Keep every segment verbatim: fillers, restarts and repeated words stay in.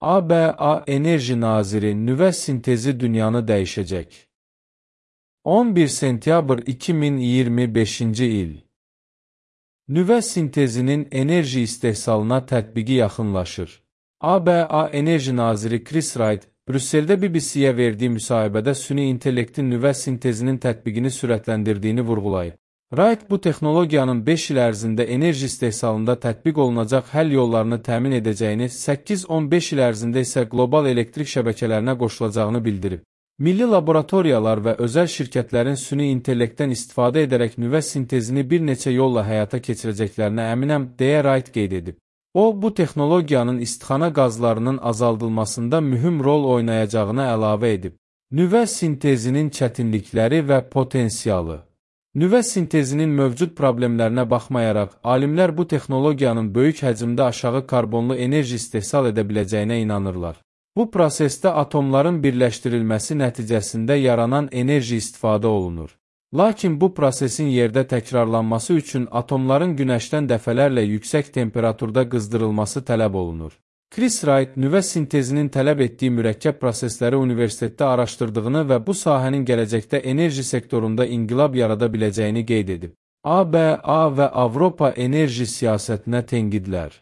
A B A Enerji Naziri nüvə sintezi dünyanı dəyişəcək. on bir sentyabr iki min iyirmi beşinci il. Nüvə sintezinin enerji istehsalına tətbiqi yaxınlaşır. A B A Enerji Naziri Chris Wright, Brüsseldə B B C-yə verdiyi müsahibədə süni intellektin nüvə sintezinin tətbiqini sürətləndirdiyini vurğulayıb. Wright bu texnologiyanın beş il ərzində enerji istehsalında tətbiq olunacaq həll yollarını təmin edəcəyini, səkkiz on beş il ərzində isə qlobal elektrik şəbəkələrinə qoşulacağını bildirib. Milli laboratoriyalar və özəl şirkətlərin süni intellektdən istifadə edərək nüvə sintezini bir neçə yolla həyata keçirəcəklərinə əminəm, deyə Wright qeyd edib. O, bu texnologiyanın istixana qazlarının azaldılmasında mühüm rol oynayacağını əlavə edib. Nüvə sintezinin çətinlikləri və potensialı. Nüvə sintezinin mövcud problemlərinə baxmayaraq, alimlər bu texnologiyanın böyük həcmdə aşağı karbonlu enerji istehsal edə biləcəyinə inanırlar. Bu prosesdə atomların birləşdirilməsi nəticəsində yaranan enerji istifadə olunur. Lakin bu prosesin yerdə təkrarlanması üçün atomların günəşdən dəfələrlə yüksək temperaturda qızdırılması tələb olunur. Chris Wright nüvə sintezinin tələb etdiyi mürəkkəb prosesləri universitetdə araşdırdığını və bu sahənin gələcəkdə enerji sektorunda inqilab yarada biləcəyini qeyd edib. A B A və Avropa enerji siyasətinə tənqidlər.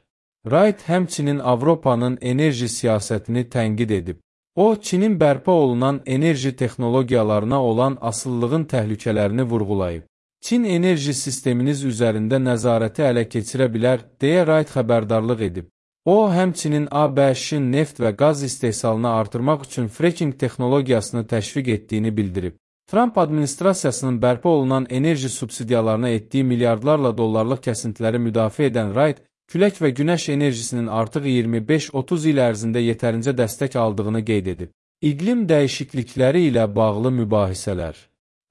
Wright həmçinin Avropanın enerji siyasətini tənqid edib. O, Çinin bərpa olunan enerji texnologiyalarına olan asıllığın təhlükələrini vurğulayıb. Çin enerji sisteminiz üzərində nəzarəti ələ keçirə bilər, deyə Wright xəbərdarlıq edib. O, həmçinin A B Ş-in neft və qaz istehsalını artırmaq üçün fracking texnologiyasını təşviq etdiyini bildirib. Trump administrasiyasının bərpa olunan enerji subsidiyalarına etdiyi milyardlarla dollarlıq kəsintiləri müdafiə edən Wright, külək və günəş enerjisinin artıq iyirmi beş otuz il ərzində yetərincə dəstək aldığını qeyd edib. İqlim dəyişiklikləri ilə bağlı mübahisələr.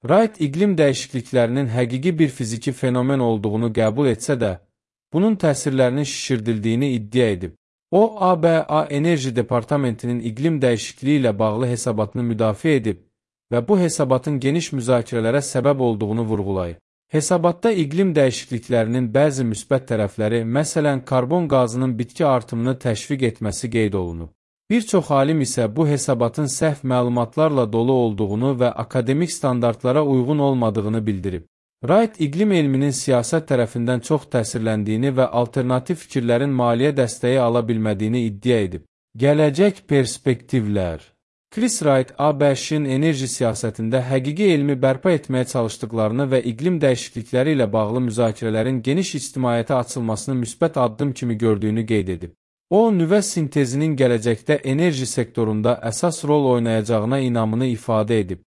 Wright iqlim dəyişikliklərinin həqiqi bir fiziki fenomen olduğunu qəbul etsə də, bunun təsirlərinin şişirdildiyini iddia edib. O, A B A Enerji Departamentinin iqlim dəyişikliyi ilə bağlı hesabatını müdafiə edib və bu hesabatın geniş müzakirələrə səbəb olduğunu vurğulayıb. Hesabatda iqlim dəyişikliklərinin bəzi müsbət tərəfləri, məsələn, karbon qazının bitki artımını təşviq etməsi qeyd olunub. Bir çox alim isə bu hesabatın səhv məlumatlarla dolu olduğunu və akademik standartlara uyğun olmadığını bildirib. Wright iqlim elminin siyasət tərəfindən çox təsirləndiyini və alternativ fikirlərin maliyyə dəstəyi ala bilmədiyini iddia edib. Gələcək perspektivlər. Chris Wright, A B Ş-in enerji siyasətində həqiqi elmi bərpa etməyə çalışdıqlarını və iqlim dəyişiklikləri ilə bağlı müzakirələrin geniş ictimaiyyətə açılmasını müsbət addım kimi gördüyünü qeyd edib. O, nüvə sintezinin gələcəkdə enerji sektorunda əsas rol oynayacağına inamını ifadə edib.